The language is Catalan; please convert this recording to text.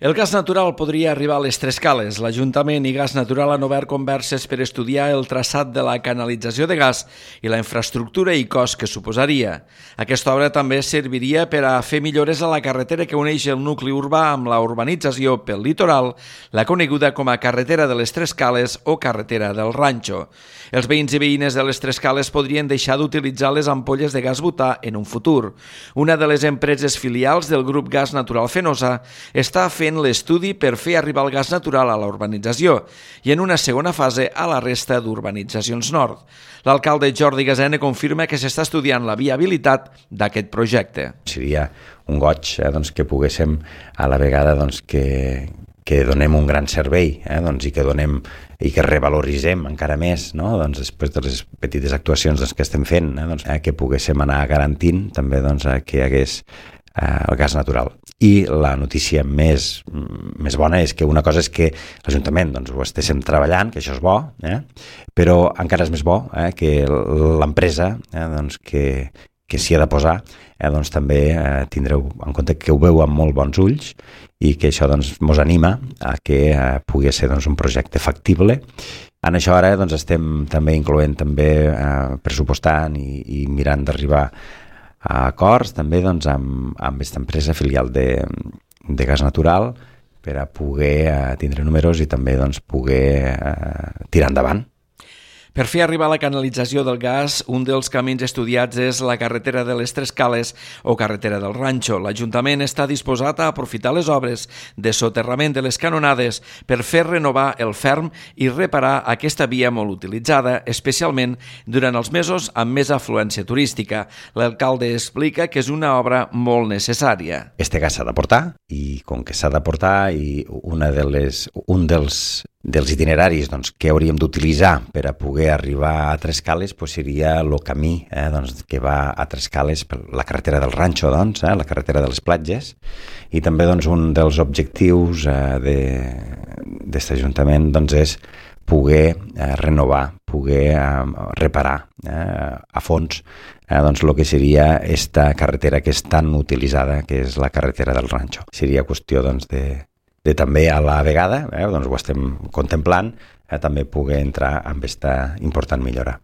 El gas natural podria arribar a les Tres Cales. L'Ajuntament i Gas Natural han obert converses per estudiar el traçat de la canalització de gas i la infraestructura i cost que suposaria. Aquesta obra també serviria per a fer millores a la carretera que uneix el nucli urbà amb la urbanització pel litoral, la coneguda com a carretera de les Tres Cales o carretera del Ranxo. Els veïns i veïnes de les Tres Cales podrien deixar d'utilitzar les ampolles de gas butà en un futur. Una de les empreses filials del grup Gas Natural Fenosa està fent l'estudi per fer arribar el gas natural a la urbanització i en una segona fase a la resta d'urbanitzacions nord. L'alcalde Jordi Gasena confirma que s'està estudiant la viabilitat d'aquest projecte. Seria un goig que poguéssim a la vegada que donem un gran servei i que revaloritzem encara més, després de les petites actuacions que estem fent, que poguéssim anar garantint també que hi hagués el gas natural. I la notícia més bona és que una cosa és que l'Ajuntament ho estiguem treballant, que això és bo, però encara és més bo que l'empresa que s'hi ha de posar també tindreu en compte que ho veu amb molt bons ulls i que això mos anima a que pugui ser un projecte factible. En això ara estem també incloent pressupostant i mirant d'arribar a acords també amb aquesta empresa filial de gas natural per a poder tindre números i també poder tirar endavant. Per fer arribar la canalització del gas, un dels camins estudiats és la carretera de les Tres Cales o carretera del Ranxo. L'Ajuntament està disposat a aprofitar les obres de soterrament de les canonades per fer renovar el ferm i reparar aquesta via molt utilitzada, especialment durant els mesos amb més afluència turística. L'alcalde explica que és una obra molt necessària. Este gas s'ha de portar i com que s'ha de portar i un dels itineraris que hauríem d'utilitzar per a poder arribar a Tres Cales seria el camí que va a Tres Cales per la carretera del Ranxo, la carretera de les platges, i també un dels objectius d'aquest Ajuntament és poder renovar, poder reparar a fons el que seria esta carretera que és tan utilitzada, que és la carretera del Ranxo. Seria qüestió de també a la vegada, ho estem contemplant, també poder entrar en aquesta important millora.